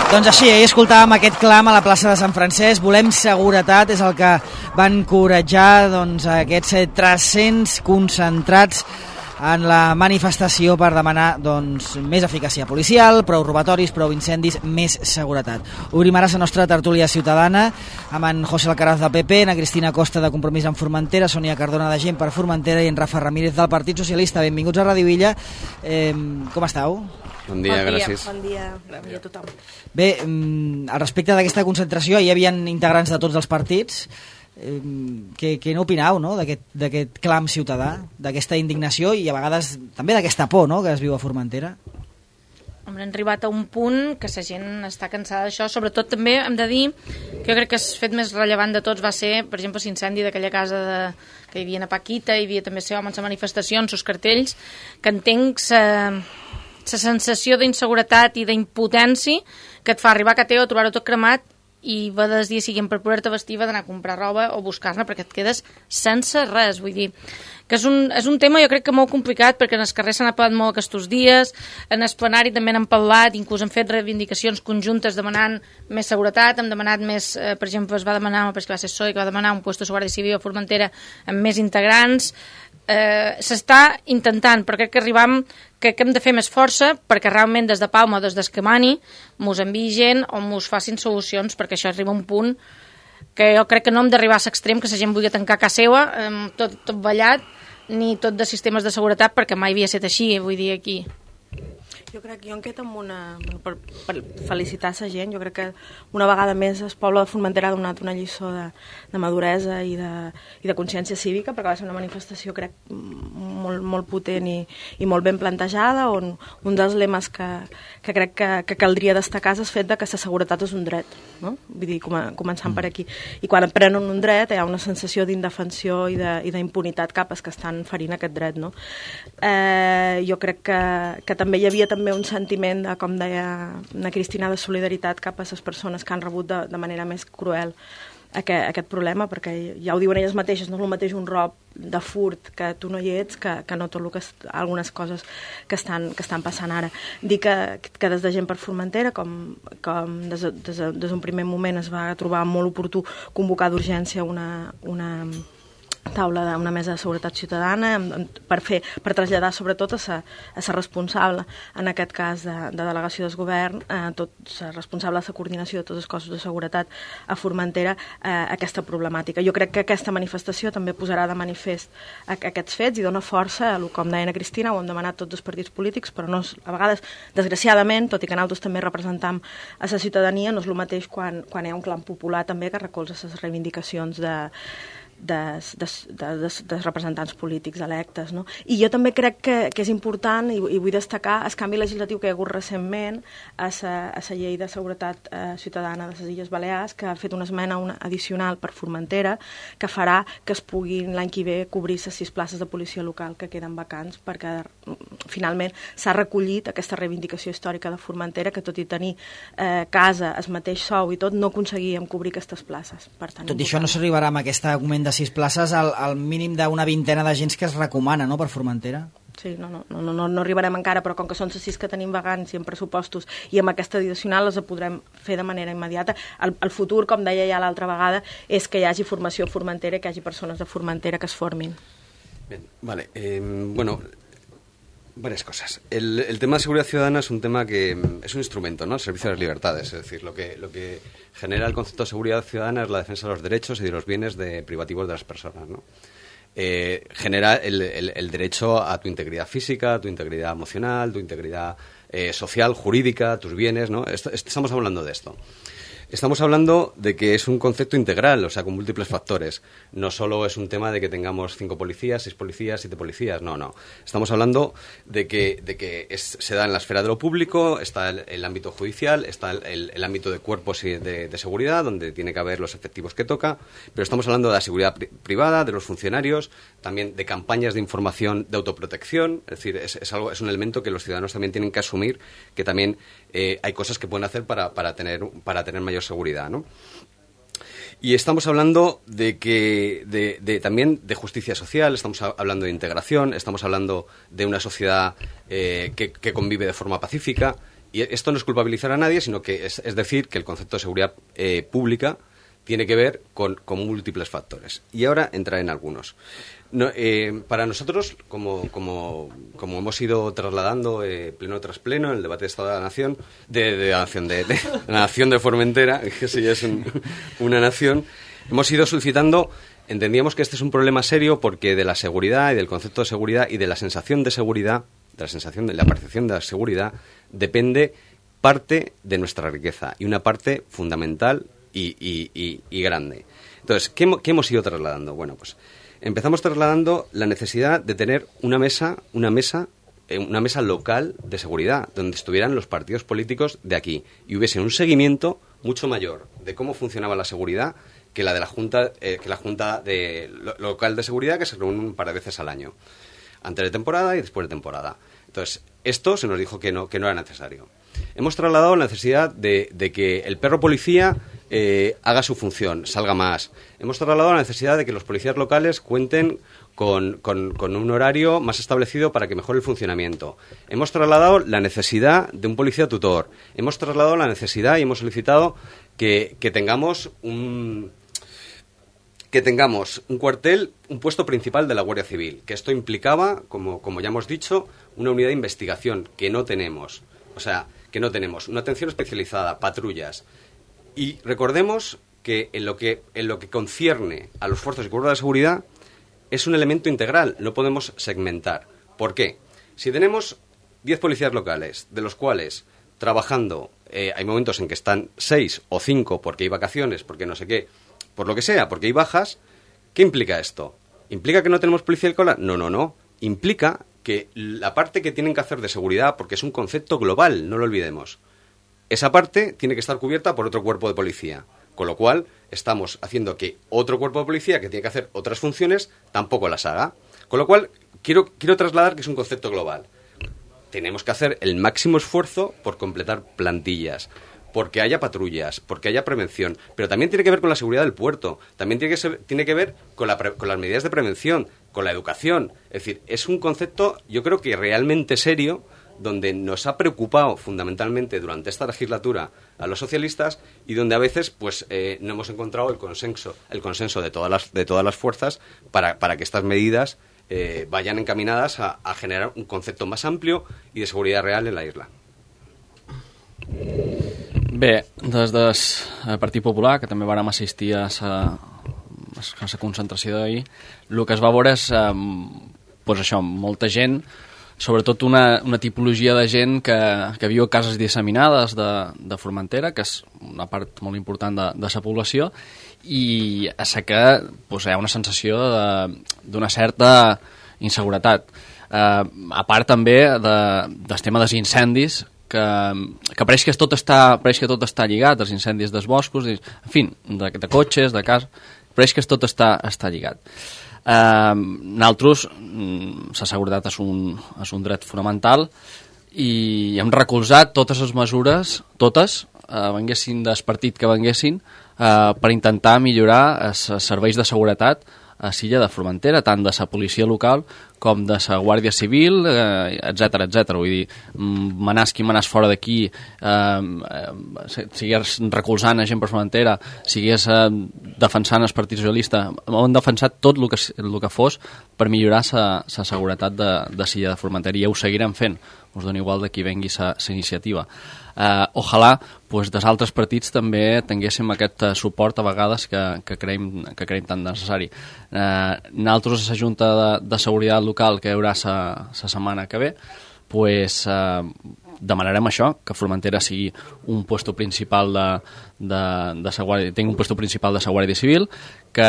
Doncs així, ahir escoltàvem aquest clam a la plaça de Sant Francesc. Volem seguretat, és el que van encoratjar aquests 300 concentrats en la manifestació per demanar més eficàcia policial, prou robatoris, prou incendis, més seguretat. Obrim ara la nostra tertúlia ciutadana amb en José Alcaraz de PP, en Cristina Costa de Compromís en Formentera, Sònia Cardona de Gent per Formentera i en Rafa Ramírez del Partit Socialista. Benvinguts a Ràdio Illa. Com esteu? Bon dia, gràcies. Bon dia a tothom. Bé, al respecte d'aquesta concentració, hi havia integrants de tots els partits. Què n'opinau, no?, d'aquest clam ciutadà, d'aquesta indignació i a vegades també d'aquesta por, no?, que es viu a Formentera? Hem arribat a un punt que la gent està cansada d'això. Sobretot també hem de dir que jo crec que el fet més rellevant de tots va ser, per exemple, l'incendi d'aquella casa que hi havia a Paquita, hi havia també ser homes a manifestacions, els cartells, que entenc la sensació d'inseguretat i d'impotència que et fa arribar a Cateo, trobar-ho tot cremat i va des dia siguin per poder-te vestir, d'anar a comprar roba o buscar-ne perquè et quedes sense res. Vull dir que és un tema jo crec que molt complicat, perquè en els carrers s'han parlat molt aquests dies, en el plenari també n'han parlat, inclús han fet reivindicacions conjuntes demanant més seguretat, hem demanat més, per exemple, es va demanar, perquè va ser PSOE, que va demanar un puesto de guàrdia civil a Formentera amb més integrants. S'està intentant, però crec que arribam que hem de fer més força perquè realment des de Palma o des d'Escamani mos enviï gent o mos facin solucions, perquè això arriba a un punt que jo crec que no hem d'arribar a l'extrem que la gent vulgui tancar casa seva, tot ballat, ni tot de sistemes de seguretat, perquè mai havia estat així, vull dir, aquí. Jo crec que jo em quedo amb per felicitar la gent. Jo crec que una vegada més el poble de Formentera ha donat una lliçó de maduresa i de consciència cívica, perquè va ser una manifestació, crec, molt potent i molt ben plantejada, on un dels lemes que crec que caldria destacar és el fet que la seguretat és un dret, no? Vull dir, començant per aquí. I quan prenen un dret hi ha una sensació d'indefensió i d'impunitat cap als que estan ferint aquest dret, no? Jo crec que també hi havia també un sentiment, com deia la Cristina, de solidaritat cap a les persones que han rebut de manera més cruel aquest problema, perquè ja ho diuen elles mateixes, no és el mateix un rob de furt que tu no hi ets que no tot algunes coses que estan passant ara. Dir que des de Gent per Formentera, com des d'un primer moment es va trobar molt oportú convocar d'urgència una taula d'una mesa de seguretat ciutadana per traslladar sobretot a la responsable, en aquest cas de delegació del govern, la responsable de la coordinació de tots els cossos de seguretat a Formentera, aquesta problemàtica. Jo crec que aquesta manifestació també posarà de manifest aquests fets i dona força, com deia la Cristina, ho hem demanat tots els partits polítics, però no, a vegades, desgraciadament, tot i que nosaltres també representam a la ciutadania, no és el mateix quan hi ha un clam popular també que recolza les reivindicacions dels representants polítics electes, no? I jo també crec que és important, i vull destacar el canvi legislatiu que hi ha hagut recentment a la llei de seguretat ciutadana de les Illes Balears, que ha fet una esmena addicional per Formentera, que farà que es puguin l'any que ve cobrir les 6 places de policia local que queden vacants, perquè finalment s'ha recollit aquesta reivindicació històrica de Formentera, que tot i tenir casa, el mateix sou i tot, no aconseguíem cobrir aquestes places. Tot i això no s'arribarà amb aquest augment de 6 places al mínim d'una vintena d'agents que es recomana, no?, per Formentera. Sí, no arribarem encara, però com que són les 6 que tenim vacants i en pressupostos i amb aquesta addicional les podrem fer de manera immediata. El futur, com deia ja l'altra vegada, és que hi hagi formació a Formentera i que hi hagi persones de Formentera que es formin. Bien, vale. Varias cosas. El tema de seguridad ciudadana es un tema que es un instrumento, ¿no? Al servicio de las libertades. Es decir, lo que genera el concepto de seguridad ciudadana es la defensa de los derechos y de los bienes privativos de las personas, ¿no? Genera el derecho a tu integridad física, a tu integridad emocional, tu integridad social, jurídica, tus bienes, ¿no? Estamos hablando de esto. Estamos hablando de que es un concepto integral, o sea, con múltiples factores. No solo es un tema de que tengamos 5 policías, 6 policías, 7 policías, no. Estamos hablando de que se da en la esfera de lo público, está el ámbito judicial, está el ámbito de cuerpos y de seguridad, donde tiene que haber los efectivos que toca, pero estamos hablando de la seguridad privada, de los funcionarios, también de campañas de información de autoprotección. Es decir, es un elemento que los ciudadanos también tienen que asumir, que también hay cosas que pueden hacer para tener mayor seguridad, ¿no? Y estamos hablando también de justicia social, estamos hablando de integración, estamos hablando de una sociedad que convive de forma pacífica Y esto no es culpabilizar a nadie, sino que es decir que el concepto de seguridad pública tiene que ver con múltiples factores. Y ahora entraré en algunos. No, para nosotros, como hemos ido trasladando pleno tras pleno en el debate de Estado de la Nación, de la Nación de Formentera, que sí es una nación, hemos ido suscitando, entendíamos que este es un problema serio porque de la seguridad y del concepto de seguridad y de la sensación de seguridad, de la percepción de la seguridad, depende parte de nuestra riqueza y una parte fundamental y grande. Entonces, ¿qué hemos ido trasladando? Bueno, pues empezamos trasladando la necesidad de tener una mesa local de seguridad, donde estuvieran los partidos políticos de aquí y hubiese un seguimiento mucho mayor de cómo funcionaba la seguridad que la de la Junta local de seguridad, que se reúne un par de veces al año, antes de temporada y después de temporada. Entonces, esto se nos dijo que no era necesario. Hemos trasladado la necesidad de que el perro policía haga su función, salga más. Hemos trasladado la necesidad de que los policías locales cuenten con un horario más establecido para que mejore el funcionamiento. Hemos trasladado la necesidad de un policía tutor. Hemos trasladado la necesidad y hemos solicitado que tengamos un cuartel, un puesto principal de la Guardia Civil, que esto implicaba, como ya hemos dicho, una unidad de investigación que no tenemos. O sea, que no tenemos una atención especializada, patrullas. Y recordemos que en lo que concierne a los fuerzas y cuerpos de seguridad es un elemento integral, no podemos segmentar. ¿Por qué? Si tenemos 10 policías locales, de los cuales trabajando hay momentos en que están 6 o 5 porque hay vacaciones, porque no sé qué, por lo que sea, porque hay bajas, ¿qué implica esto? ¿Implica que no tenemos policía local? No. Implica que la parte que tienen que hacer de seguridad, porque es un concepto global, no lo olvidemos, esa parte tiene que estar cubierta por otro cuerpo de policía, con lo cual estamos haciendo que otro cuerpo de policía que tiene que hacer otras funciones tampoco las haga. Con lo cual, quiero trasladar que es un concepto global. Tenemos que hacer el máximo esfuerzo por completar plantillas, porque haya patrullas, porque haya prevención, pero también tiene que ver con la seguridad del puerto, también tiene que ver con las medidas de prevención, con la educación. Es decir, es un concepto, yo creo que realmente serio, donde nos ha preocupado fundamentalmente durante esta legislatura a los socialistas y donde a veces pues no hemos encontrado el consenso de todas las fuerzas para que estas medidas vayan encaminadas a generar un concepto más amplio y de seguridad real en la isla. Bé, des del Partit Popular, que també vàrem assistir a la concentració d'ahir, el que es va veure és pues això, molta gent, sobretot una tipologia de gent que viu a cases disseminades de Formentera, que és una part molt important de la població, i a la que pues, hi ha una sensació d'una certa inseguretat. A part també del tema dels incendis, que pareix que tot està lligat, els incendis dels boscos, en fi, de cotxes, de casa, pareix que tot està lligat. Nosaltres, la seguretat és un dret fonamental i hem recolzat totes les mesures, venguessin del partit que venguessin, per intentar millorar els serveis de seguretat a l'illa de Formentera, tant de la policia local com de la Guàrdia Civil, etc. Vull dir, manàs qui manàs fora d'aquí, sigués recolzant a gent per Formentera, sigués defensant el Partit Socialista, hem defensat tot el que fos per millorar la seguretat de l'illa de Formentera, i ho seguirem fent, us dona igual de qui vengui la iniciativa. Ojalà pues, dels altres partits també tinguéssim aquest suport a vegades que creiem tan necessari. Nosaltres a la Junta de Seguretat Local que hi haurà la setmana que ve pues, demanarem això, que Formentera sigui un puesto principal tingui un puesto principal de la Guàrdia Civil, que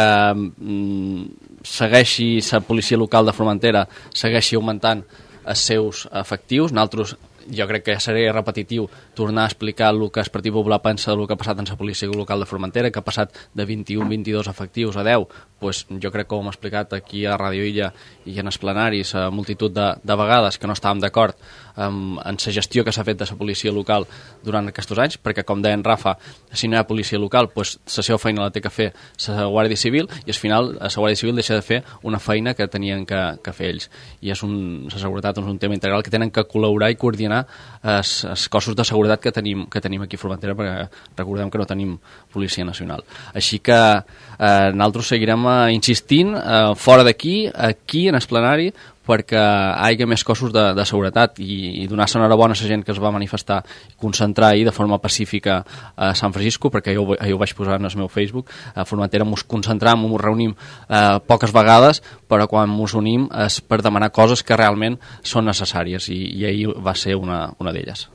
segueixi la policia local de Formentera, segueixi augmentant els seus efectius. Nosaltres, jo crec que seria repetitiu tornar a explicar el que el Partit Popular pensa del que ha passat en la policia local de Formentera, que ha passat de 21-22 efectius a 10. Pues jo crec que ho hem explicat aquí a Ràdio Illa i en els plenaris a multitud de vegades, que no estàvem d'acord en la gestió que s'ha fet de la policia local durant aquests anys, perquè, com deia en Rafa, si no hi ha policia local, pues, la seva feina la té que fer la Guàrdia Civil, i al final la Guàrdia Civil deixa de fer una feina que tenien que fer ells. I la seguretat és un tema integral que tenen que col·laborar i coordinar coordinar els cossos de seguretat que tenim aquí a Formentera, perquè recordem que no tenim Policia Nacional. Així que nosaltres seguirem insistint fora d'aquí, aquí en el plenari, perquè hi hagi més cossos de seguretat i donar-se enhorabona a la gent que es va manifestar i concentrar ahir de forma pacífica a Sant Francisco, perquè jo ho vaig posar en el meu Facebook. A Formentera ens concentram, ens reunim poques vegades, però quan ens unim és per demanar coses que realment són necessàries i ahir va ser una d'elles.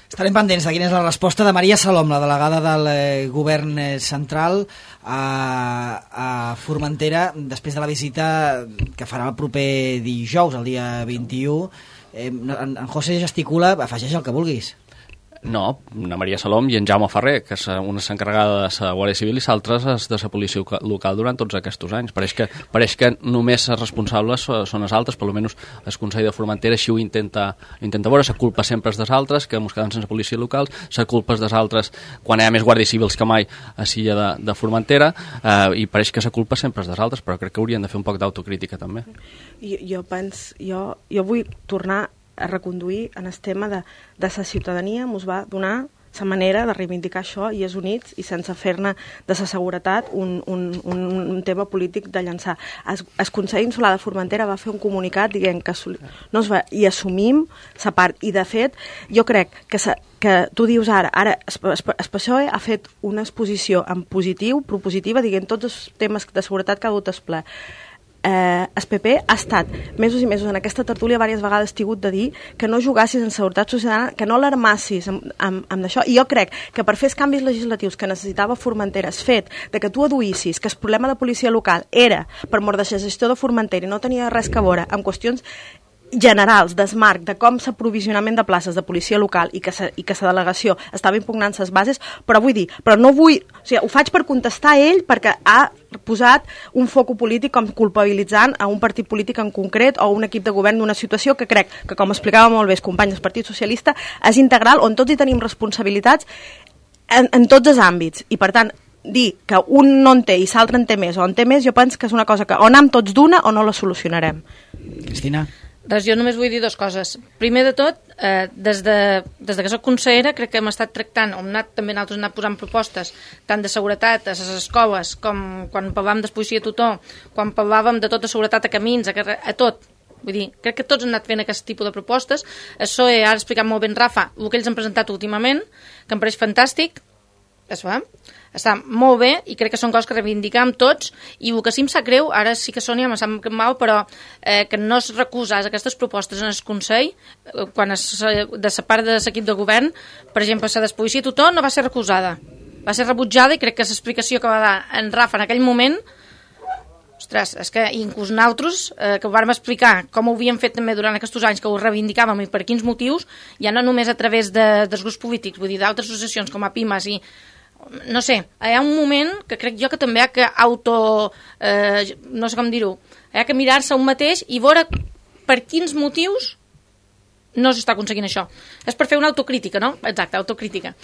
Estarem pendents de quina és la resposta de Maria Salom, la delegada del govern central a Formentera, després de la visita que farà el proper dijous, el dia 21. En José gesticula, afegeix el que vulguis. No, la Maria Salom i en Jaume Ferrer, que una és encarregada de la Guàrdia Civil i l'altra és de la policia local durant tots aquests anys. Pareix que només els responsables són els altres, per almenys el Consell de Formentera així ho intenta veure. La culpa sempre és dels altres, que ens quedem sense policia local, la culpa és dels altres quan hi ha més guàrdies civils que mai a l'illa de Formentera, i pareix que la culpa sempre és dels altres, però crec que haurien de fer un poc d'autocrítica també. Jo vull tornar a reconduir en el tema de la ciutadania ens va donar la manera de reivindicar això i és units i sense fer-ne de la seguretat un tema polític de llançar. El Consell Insular de Formentera va fer un comunicat dient que no es va, i assumim la part, i de fet jo crec que tu dius ara el PSOE ha fet una exposició en positiu, propositiva, dient tots els temes de seguretat que ha dut el ple. El PP ha estat mesos i mesos en aquesta tertúlia, diverses vegades tingut de dir que no jugassis en seguretat ciutadana, que no l'armassis amb això, i jo crec que per fer els canvis legislatius que necessitava Formentera, el fet de que tu aduïssis que el problema de policia local era per mort de la gestió de Formentera i no tenia res que veure amb qüestions generals, d'esmarc, de com s'aprovisionament de places de policia local i que la delegació estava impugnant les bases, però no vull, o sigui, ho faig per contestar a ell perquè ha posat un foco polític com culpabilitzant a un partit polític en concret o un equip de govern d'una situació que crec que, com explicava molt bé el company del Partit Socialista, és integral, on tots hi tenim responsabilitats en tots els àmbits, i per tant dir que un no en té i l'altre en té més o en té més, jo penso que és una cosa que o anem tots d'una o no la solucionarem. Cristina? Doncs jo només vull dir dues coses. Primer de tot, des que soc consellera crec que hem estat tractant, també nosaltres hem anat posant propostes tant de seguretat a les escoles com quan parlàvem de policia tutor, quan parlàvem de tota seguretat a camins, a tot. Vull dir, crec que tots han anat fent aquest tipus de propostes. Això ha explicat molt ben Rafa, el que ells han presentat últimament, que em pareix fantàstic, està molt bé i crec que són coses que reivindicam tots, i el que sí em sap greu, ara sí que Sònia me sap mal, però que no es recusés aquestes propostes en el Consell quan de la part de l'equip de govern. Per exemple, la despolicia tutor no va ser recusada, va ser rebutjada, i crec que l'explicació que va dar en Rafa en aquell moment, ostres, és que inclús nosaltres, que ho vàrem explicar com ho havíem fet també durant aquests anys, que ho reivindicàvem i per quins motius, ja no només a través dels grups polítics, vull dir, d'altres associacions com a Pimes i no sé, hi ha un moment que crec jo que també hi ha que no sé com dir-ho, hi ha que mirar-se un mateix i veure per quins motius no s'està aconseguint això. És per fer una autocrítica, no? Exacte, autocrítica.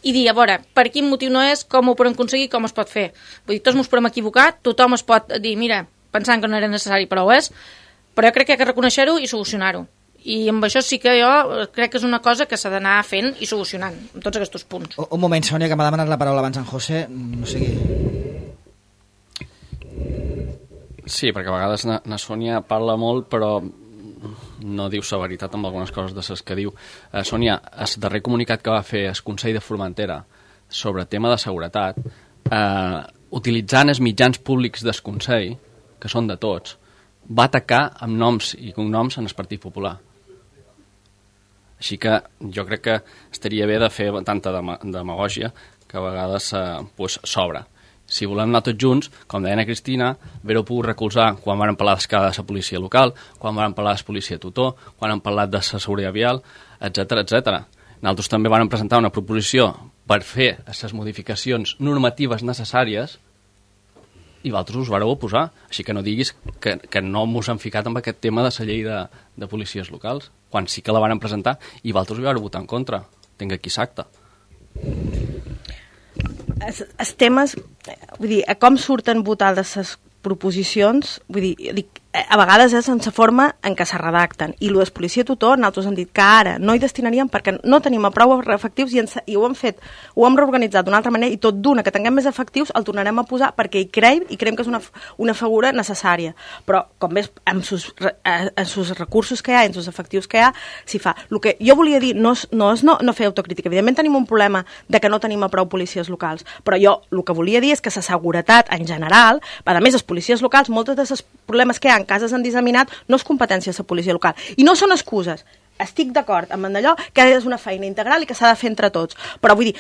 I dir, a veure, per quin motiu no és, com ho podem aconseguir, com es pot fer. Vull dir, tots ens podem equivocar, tothom es pot dir, mira, pensant que no era necessari, però ho és, però jo crec que hi ha que reconèixer-ho i solucionar-ho. I amb això sí que jo crec que és una cosa que s'ha d'anar fent i solucionant, amb tots aquests punts. Un moment, Sònia, que m'ha demanat la paraula abans en José, no sé qui. Sí, perquè a vegades na Sònia parla molt, però no diu la veritat amb algunes coses de les que diu. Sònia, el darrer comunicat que va fer el Consell de Formentera sobre tema de seguretat, utilitzant els mitjans públics del Consell, que són de tots, va atacar amb noms i cognoms en el Partit Popular. Així que jo crec que estaria bé de fer tanta demagògia que a vegades s'obre. Si volem anar tots junts, com deia Cristina, haver-ho pogut recolzar quan vam parlar d'escala de la policia local, quan vam parlar de la policia tutor, quan hem parlat de la seguretat vial, etc. Nosaltres també vam presentar una proposició per fer les modificacions normatives necessàries i vosaltres us vareu oposar. Així que no diguis que no mos han ficat amb aquest tema de la llei de policies locals, quan sí que la van presentar i vosaltres hi vareu votar en contra. Tinc aquí l'acta. Els temes, vull dir, com surten votades les proposicions, vull dir, a vegades és en la forma en què se redacten. I el de policia tutor, nosaltres hem dit que ara no hi destinaríem perquè no tenim prou efectius i ho hem fet, ho hem reorganitzat d'una altra manera i tot d'una que tinguem més efectius el tornarem a posar perquè hi creiem que és una figura necessària. Però, com ves, amb els recursos que hi ha, amb els efectius que hi ha, s'hi fa. El que jo volia dir no és no fer autocrítica. Evidentment tenim un problema de que no tenim prou policies locals, però jo el que volia dir és que la seguretat en general, a més, les policies locals, molts dels problemes que hi ha en cases han disseminat, no és competència de la policia local. I no són excuses. Estic d'acord amb allò que és una feina integral i que s'ha de fer entre tots. Però vull dir,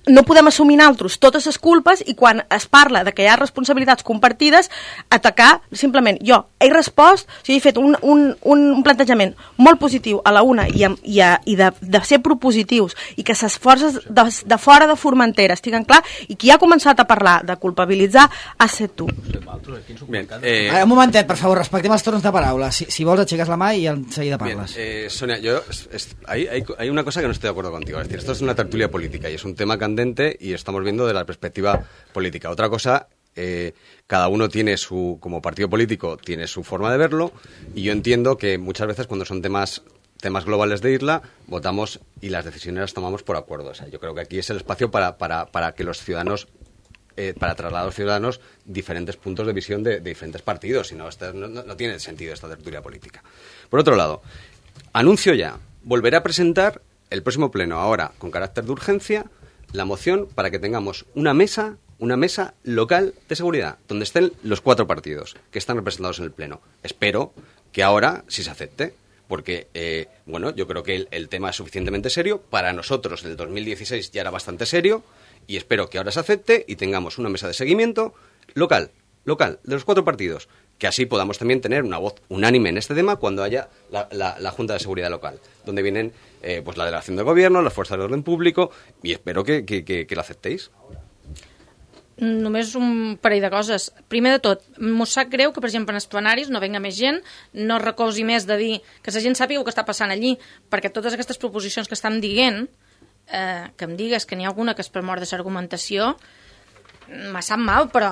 no podem assumir nosaltres totes les culpes i quan es parla de que hi ha responsabilitats compartides, atacar, simplement, jo he respost, o sigui, he fet un plantejament molt positiu a la una i de ser propositius i que les forces de fora de Formentera estiguen clar i qui ha començat a parlar de culpabilitzar ha set tu. Bien, un momentet, per favor, respectem els torns de paraula. Si vols, aixeques la mà i en seguida parles. Bien, Sonia, hay una cosa que no estoy de acuerdo contigo. Es decir, esto es una tertulia política y es un tema candente y estamos viendo de la perspectiva política. Otra cosa, cada uno tiene como partido político, tiene su forma de verlo y yo entiendo que muchas veces cuando son temas globales de isla, votamos y las decisiones las tomamos por acuerdo. O sea, yo creo que aquí es el espacio para que los ciudadanos para trasladar a los ciudadanos diferentes puntos de visión de diferentes partidos, si no, no tiene sentido esta tertulia política. Por otro lado, anuncio ya, volveré a presentar el próximo pleno, ahora con carácter de urgencia, la moción para que tengamos una mesa local de seguridad, donde estén los 4 partidos que están representados en el pleno. Espero que ahora sí se acepte, porque, yo creo que el tema es suficientemente serio. Para nosotros, en el 2016 ya era bastante serio, y espero que ahora se acepte y tengamos una mesa de seguimiento local, de los 4 partidos, que así podamos también tener una voz unánime en este tema cuando haya la Junta de Seguridad Local, donde vienen pues la delegación del Gobierno, las fuerzas de orden público, y espero que lo aceptéis. Només un parell de coses. Primer de tot, m'ho sap greu que, per exemple, en els plenaris no venga més gent, no recolzi més de dir que la gent sàpiga el que està passant allí, perquè totes aquestes proposicions que estem dient, que em digues que n'hi ha alguna que és per mort de l'argumentació, me sap mal, però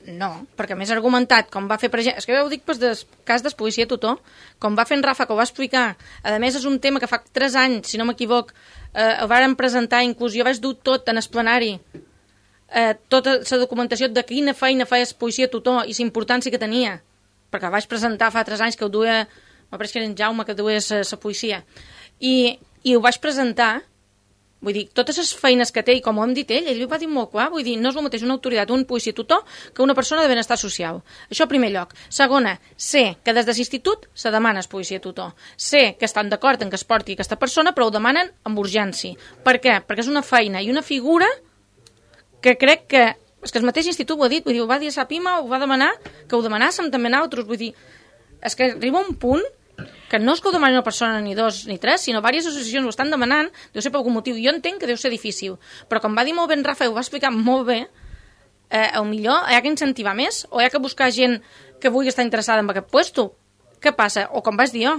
no, perquè més argumentat, com va fer, per exemple, és que ho dic pel cas del policia tutor, com va fer en Rafa, que ho va explicar, a més és un tema que fa 3 anys, si no m'equivoc, el varen presentar, inclús jo vaig dur tot en el plenari, tota la documentació de quina feina feia el policia tutor i la importància que tenia, perquè el vaig presentar fa 3 anys que ho duia, m'apareix que era en Jaume que duia la policia, i ho vaig presentar. Vull dir, totes les feines que té, i com ho hem dit ell ho va dir molt clar, vull dir, no és el mateix una autoritat, un policia tutor, que una persona de benestar social. Això en primer lloc. Segona, sé que des de l'institut se demana el policia tutor. Sé que estan d'acord en que es porti aquesta persona, però ho demanen amb urgència. Per què? Perquè és una feina i una figura que crec que... És que el mateix institut ho ha dit, vull dir, ho va dir a Sapima, ho va demanar, que ho demanàssim també nosaltres, vull dir, és que arriba un punt que no és que ho demani una persona ni 2 ni 3, sinó diverses associacions ho estan demanant, deu ser per algun motiu. Jo entenc que deu ser difícil, però com va dir molt bé en Rafa, ho va explicar molt bé, millor hi ha que incentivar més, o hi ha que buscar gent que vulgui estar interessada en aquest puesto. Què passa? O com vaig dir jo,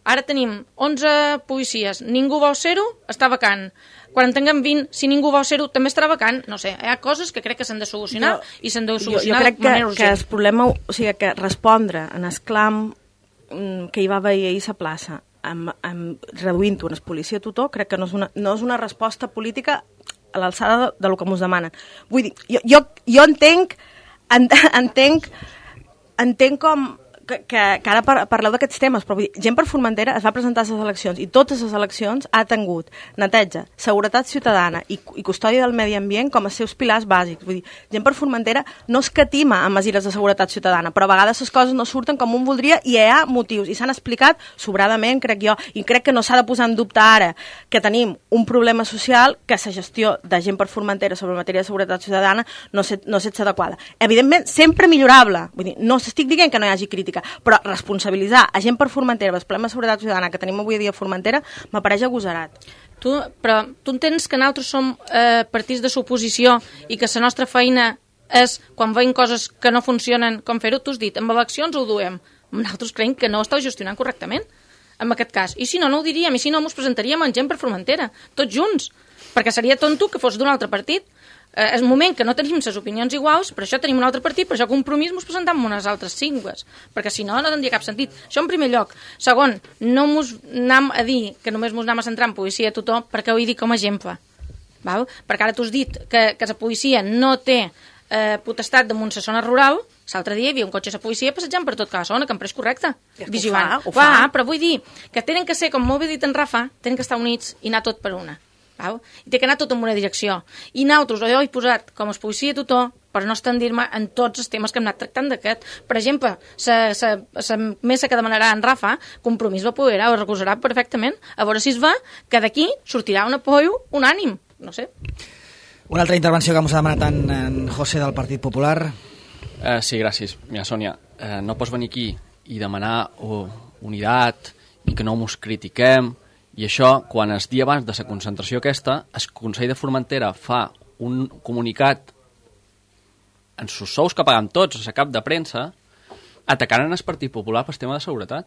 ara tenim 11 policies, ningú vol ser-ho, està vacant. Quan en tinguem 20, si ningú vol ser-ho, també estarà vacant. No sé, hi ha coses que crec que s'han de solucionar i s'han de solucionar de manera urgent. Jo crec que el problema, o sigui, que respondre en el clam que hi va haver ahir a la plaça reduint-ho en el policia tutor, crec que no és una resposta política a l'alçada del que ens demanen. Vull dir, jo entenc com que ara parleu d'aquests temes, però vull dir, Gent per Formentera es va presentar a les eleccions i totes les eleccions ha tingut neteja, seguretat ciutadana i custòdia del medi ambient com els seus pilars bàsics. Vull dir, Gent per Formentera no escatima en mesures de seguretat ciutadana, però a vegades les coses no surten com un voldria i hi ha motius, i s'han explicat sobradament, crec jo, i crec que no s'ha de posar en dubte ara que tenim un problema social, que la gestió de Gent per Formentera sobre matèria de seguretat ciutadana no és adequada. Evidentment, sempre millorable. Vull dir, no estic dient que no hi hagi crítica, però responsabilitzar a Gent per Formentera els problemes de seguretat ciutadana que tenim avui dia a Formentera m'apareix agosarat. Però tu entens que nosaltres som partits de l'oposició i que la nostra feina és, quan veiem coses que no funcionen, com fer-ho, tu has dit, amb eleccions ho duem. Nosaltres creiem que no ho esteu gestionant correctament, en aquest cas. I si no, no ho diríem, i si no, ens presentaríem en Gent per Formentera, tots junts, perquè seria tonto que fos d'un altre partit. És un moment que no tenim les opinions iguals, per això tenim un altre partit, per això Compromís ens presentem amb unes altres cingles, perquè si no, no tindria cap sentit. Això en primer lloc. Segon, no mos anem a dir que només mos anem a centrar en policia a tothom, perquè ho he dit com a exemple. Val? Perquè ara tu has dit que la policia no té potestat damunt la zona rural. L'altre dia hi havia un cotxe de policia passejant per tot cada zona, que em pareix correcte. Vigilant. Ho fa. Però vull dir que tenen que ser, com molt bé dit en Rafa, tenen que estar units i anar tot per una. Val? I té que anar tot en una direcció. I nosaltres, jo he posat com es policia a tothom per no estendir-me en tots els temes que hem anat tractant d'aquest. Per exemple, la mesa que demanarà en Rafa, Compromís la poderà o recolzarà perfectament. A veure si es va que d'aquí sortirà un apoyo unànim. No sé. Una altra intervenció que ens ha demanat en José del Partit Popular. Sí, gràcies. Mira, Sònia, no pots venir aquí i demanar unitat i que no mos critiquem. I això, quan el dia abans de la concentració aquesta, el Consell de Formentera fa un comunicat en sus sous que pagam tots, a la cap de premsa, atacant el Partit Popular pel tema de seguretat.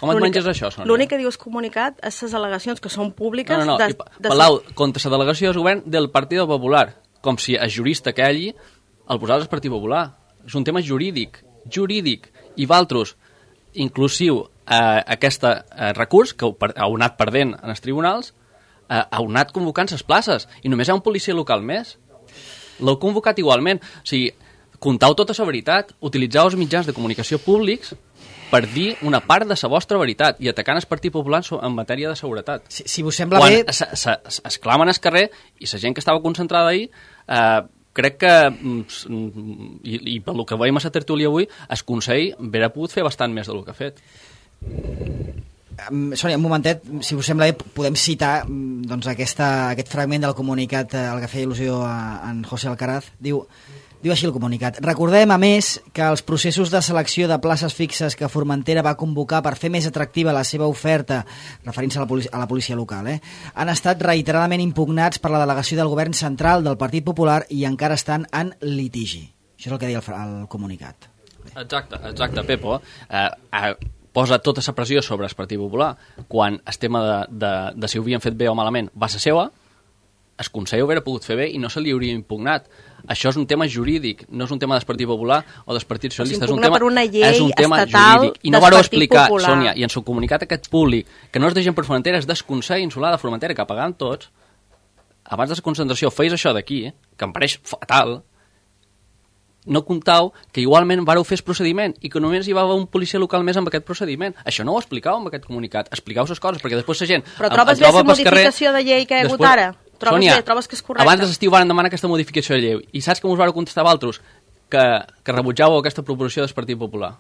Com et menges això, Sònia? L'únic que dius comunicat és les al·legacions que són públiques... No. Palau, contra la delegació del govern del Partit Popular, com si el jurista que allí el posava el Partit Popular. És un tema jurídic, i valtros, inclusiu aquest recurs que heu anat perdent en els tribunals, heu anat convocant les places i només hi ha un policia local més. L'heu convocat igualment. O sigui, contau tota la veritat, utilitzeu els mitjans de comunicació públics per dir una part de la vostra veritat i atacant el Partit Popular en matèria de seguretat. Si vos sembla bé... Quan es clamen al carrer i la gent que estava concentrada ahir, crec que, i pel que veiem a la tertúlia avui, el Consell hauria pogut fer bastant més del que ha fet. Sònia, un momentet, si us sembla bé, podem citar doncs, aquest fragment del comunicat al que feia il·lusió en José Alcaraz. Diu així el comunicat: recordem, a més, que els processos de selecció de places fixes que Formentera va convocar per fer més atractiva la seva oferta, referint-se a la policia local, han estat reiteradament impugnats per la delegació del govern central del Partit Popular i encara estan en litigi. Això és el que deia el comunicat. Exacte, Pepo. Posa tota la pressió sobre el Partit Popular quan el tema de si ho havien fet bé o malament va ser seva. El Consell ho hauria pogut fer bé i no se li hauria impugnat. Això és un tema jurídic, no és un tema del Partit Popular o del Partit Socialista. És un tema jurídic. I no vareu explicar, Sònia, i en el comunicat aquest públic, que no és de gent per Formentera, és del Consell Insular de Formentera, que pagant tots, abans de la concentració feis això d'aquí, que em pareix fatal, no comptau que igualment vareu fer el procediment i que només hi va haver un policia local més amb aquest procediment. Això no ho explicau amb aquest comunicat. Expliqueu les coses, perquè després la gent... Però trobes bé la modificació de llei que hi ha hagut ara? Sònia, trobes que és correcte? Abans de l'estiu van demanar aquesta modificació de llei i saps que us vareu contestar vosaltres? Que rebutjàveu aquesta proposició del Partit Popular.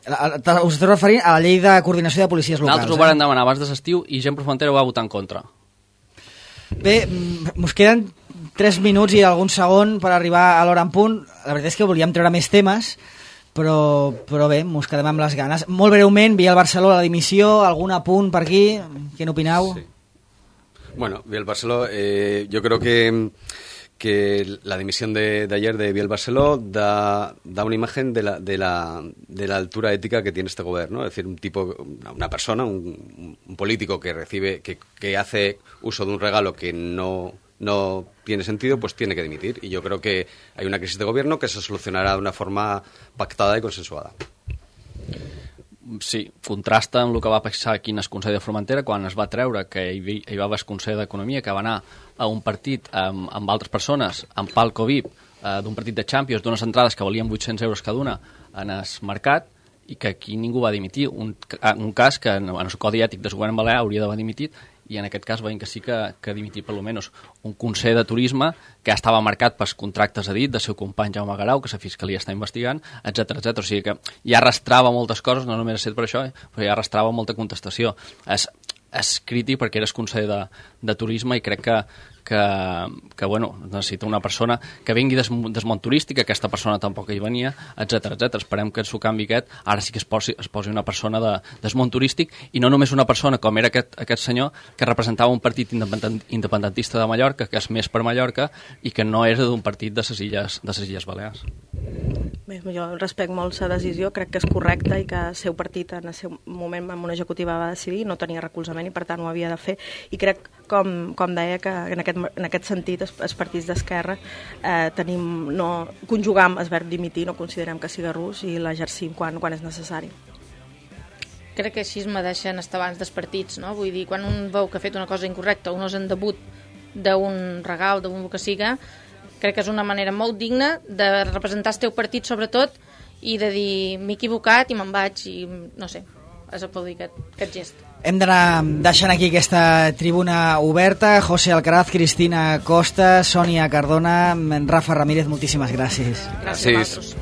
Us esteu referint a la llei de coordinació de policies locals. Nosaltres ho vam demanar abans de l'estiu i gent per Formentera ho va votar en contra. Bé, us queden 3 minuts i algun segon per arribar a l'hora en punt. La veritat és que volíem treure més temes, però bé, mos quedem amb les ganes. Molt breument, Biel Barceló, la dimissió, algun apunt per aquí? Què n'opineu? Sí. Bueno, Biel Barceló, yo creo que la dimisión de ayer de Biel Barceló da una imagen de la altura ética que tiene este gobierno, ¿no? Es decir, una persona, un político que recibe, que hace uso de un regalo que no tiene sentido, pues tiene que dimitir. Y yo creo que hay una crisis de gobierno que se solucionará de una forma pactada y consensuada. Sí, contrasta amb el que va passar aquí en el Consell de Formentera quan es va treure que hi va haver el Consell d'Economia que va anar a un partit amb altres persones, amb palco VIP, d'un partit de Champions, d'unes entrades que valien 800 euros cada una en el mercat, i que aquí ningú va dimitir. Un cas que en el Codi Ètic del Govern Balear hauria d'haver dimitit, i en aquest cas veiem que sí que dimitir per almenys un Consell de Turisme que estava marcat pels contractes a dit del seu company Jaume Garau, que la Fiscalia està investigant, etc. O sigui que ja arrastrava moltes coses, no només ha estat per això, però ja arrastrava molta contestació. És crític perquè eres Consell de Turisme i crec que bueno, necessita una persona que vingui del món turístic, aquesta persona tampoc hi venia, etc. Esperem que en su canvi ara sí que es posi una persona del món turístic i no només una persona com era aquest senyor que representava un partit independentista de Mallorca, que és més per Mallorca i que no era d'un partit de les Illes Balears. Bé, jo respecto molt la decisió, crec que és correcta i que el seu partit en el seu moment amb una executiva va decidir, no tenia recolzament i per tant ho havia de fer, i crec com deia, que en aquest sentit els partits d'esquerra conjugam el verb dimitir, no considerem que sigui rus i l'exercim quan és necessari. Crec que així me deixen estar abans dels partits, no? Vull dir, quan un veu que ha fet una cosa incorrecta o no és en debut d'un regal, d'un que siga, crec que és una manera molt digna de representar el teu partit, sobretot, i de dir, m'he equivocat i me'n vaig, i no sé, és aplaudir aquest gest. Hem d'anar deixant aquí aquesta tribuna oberta. José Alcaraz, Cristina Costa, Sònia Cardona, Rafa Ramírez, moltíssimes gràcies. Gràcies a vosaltres.